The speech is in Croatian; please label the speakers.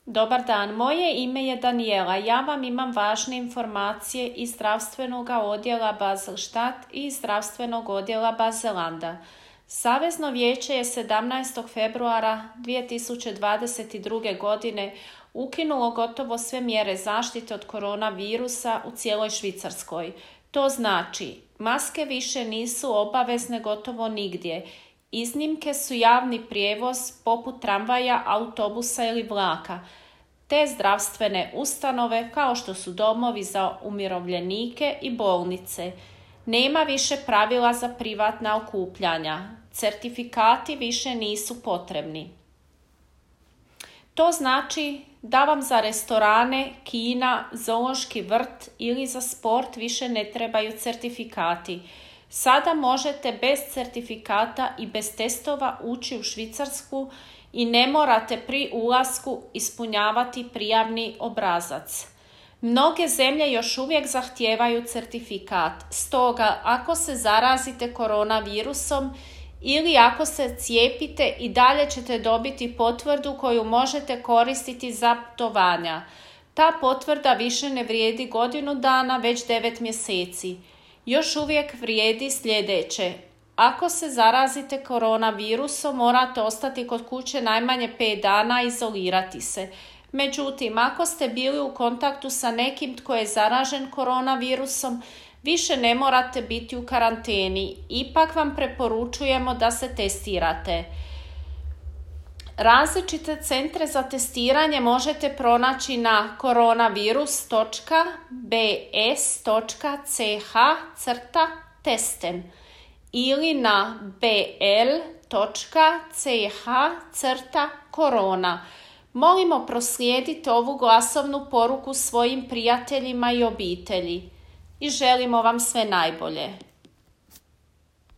Speaker 1: Dobar dan, moje ime je Daniela. Ja vam imam važne informacije iz zdravstvenog odjela Basel-Stadt i zdravstvenog odjela Baselanda. Savezno vijeće je 17. februara 2022. godine ukinulo gotovo sve mjere zaštite od koronavirusa u cijeloj Švicarskoj. To znači, maske više nisu obavezne gotovo nigdje. Iznimke su javni prijevoz poput tramvaja, autobusa ili vlaka, te zdravstvene ustanove kao što su domovi za umirovljenike i bolnice. Nema više pravila za privatna okupljanja. Certifikati više nisu potrebni. To znači da vam za restorane, kina, zoološki vrt ili za sport više ne trebaju certifikati. Sada možete bez certifikata i bez testova ući u Švicarsku i ne morate pri ulasku ispunjavati prijavni obrazac. Mnoge zemlje još uvijek zahtijevaju certifikat, stoga ako se zarazite koronavirusom ili ako se cijepite i dalje ćete dobiti potvrdu koju možete koristiti za putovanja. Ta potvrda više ne vrijedi godinu dana, već 9 mjeseci. Još uvijek vrijedi sljedeće. Ako se zarazite koronavirusom, morate ostati kod kuće najmanje 5 dana i izolirati se. Međutim, ako ste bili u kontaktu sa nekim tko je zaražen koronavirusom, više ne morate biti u karanteni. Ipak vam preporučujemo da se testirate. Različite centre za testiranje možete pronaći na coronavirus.bs.ch/testen ili na bl.ch/corona. Molimo proslijedite ovu glasovnu poruku svojim prijateljima i obitelji i želimo vam sve najbolje.